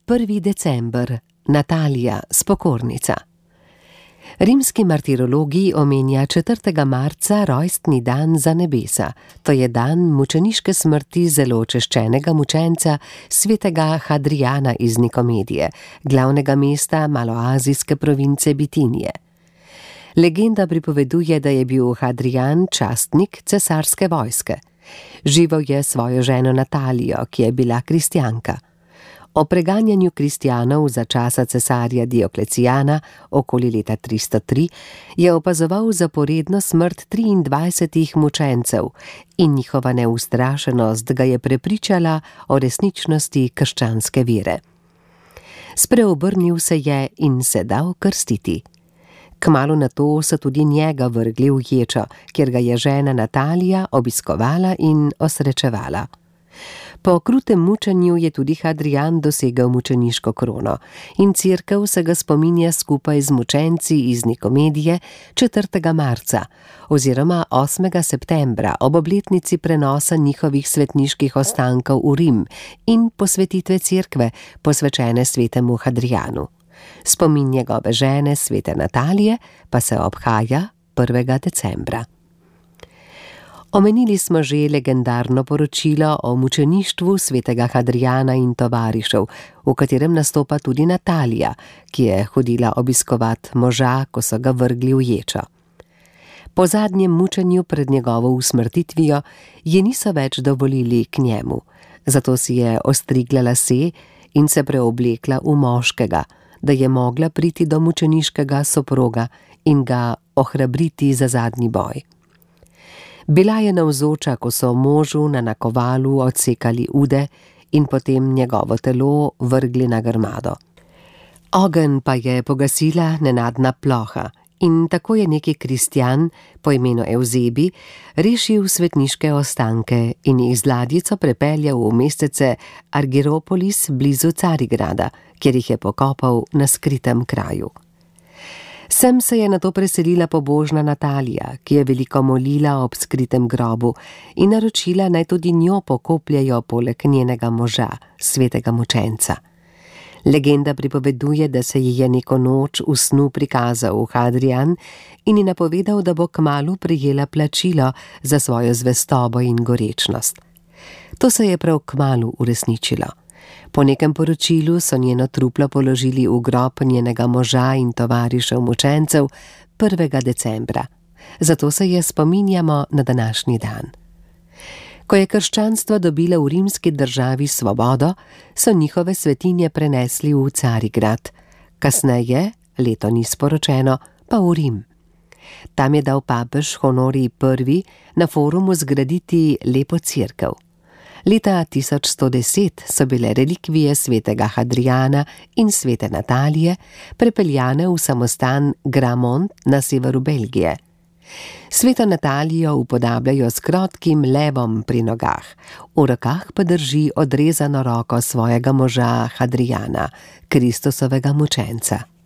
1. december, Natalija, spokornica. Rimski martirologi omenja 4. marca rojstni dan za nebesa, to je dan mučeniške smrti zelo češčenega mučenca svetega Hadrijana iz Nikomedije, glavnega mesta maloazijske province Bitinije. Legenda pripoveduje, da je bil Hadrijan častnik cesarske vojske. Živel je svojo ženo Natalijo, ki je bila kristjanka. O preganjanju kristjanov za časa cesarja Dioklecijana okoli leta 303 je opazoval zaporedno smrt 23 mučencev in njihova neustrašenost ga je prepričala o resničnosti krščanske vere. Spreobrnil se je in se dal krstiti. Kmalu nato so tudi njega vrgli v ječo, kjer ga je žena Natalija obiskovala in osrečevala. Po krutem mučenju je tudi Hadrijan dosegel mučeniško krono in cerkev se ga spominja skupaj z mučenci iz Nikomedije 4. marca oziroma 8. septembra ob obletnici prenosa njihovih svetniških ostankov v Rim in posvetitve cerkve, posvečene svetemu Hadrijanu. Spomin njegove žene, svete Natalije, pa se obhaja 1. decembra. Omenili smo že legendarno poročilo o mučeništvu svetega Hadrijana in tovarišev, v katerem nastopa tudi Natalija, ki je hodila obiskovat moža, ko so ga vrgli v ječo. Po zadnjem mučenju pred njegovo usmrtitvijo je niso več dovolili k njemu, zato si je ostrigla lase in se preoblekla v moškega, da je mogla priti do mučeniškega soproga in ga ohrabriti za zadnji boj. Bila je navzoča, ko so možu na nakovalu odsekali ude in potem njegovo telo vrgli na grmado. Ogenj pa je pogasila nenadna ploha in tako je neki kristjan po imenu Evzebi rešil svetniške ostanke in jih z ladjico prepeljal v mestece Argiropolis blizu Carigrada, kjer jih je pokopal na skritem kraju. Sem se je nato preselila pobožna Natalija, ki je veliko molila ob skritem grobu in naročila, naj tudi njo pokopljajo poleg njenega moža, svetega mučenca. Legenda pripoveduje, da se ji je neko noč v snu prikazal Hadrijan in ji napovedal, da bo kmalu prejela plačilo za svojo zvestobo in gorečnost. To se je prav kmalu uresničilo. Po nekem poročilu so njeno truplo položili v grob njenega moža in tovarišev mučencev 1. decembra. Zato se je spominjamo na današnji dan. Ko je krščanstvo dobilo v rimski državi svobodo, so njihove svetinje prenesli v Carigrad. Kasneje, leto ni sporočeno, pa v Rim. Tam je dal papež Honorij I. na forumu zgraditi lepo cerkev. Leta 1110 so bile relikvije svetega Hadrijana in svete Natalije prepeljane v samostan Gramont na severu Belgije. Sveto Natalijo upodabljajo s krotkim levom pri nogah, v rokah pa drži odrezano roko svojega moža Hadrijana, Kristusovega mučenca.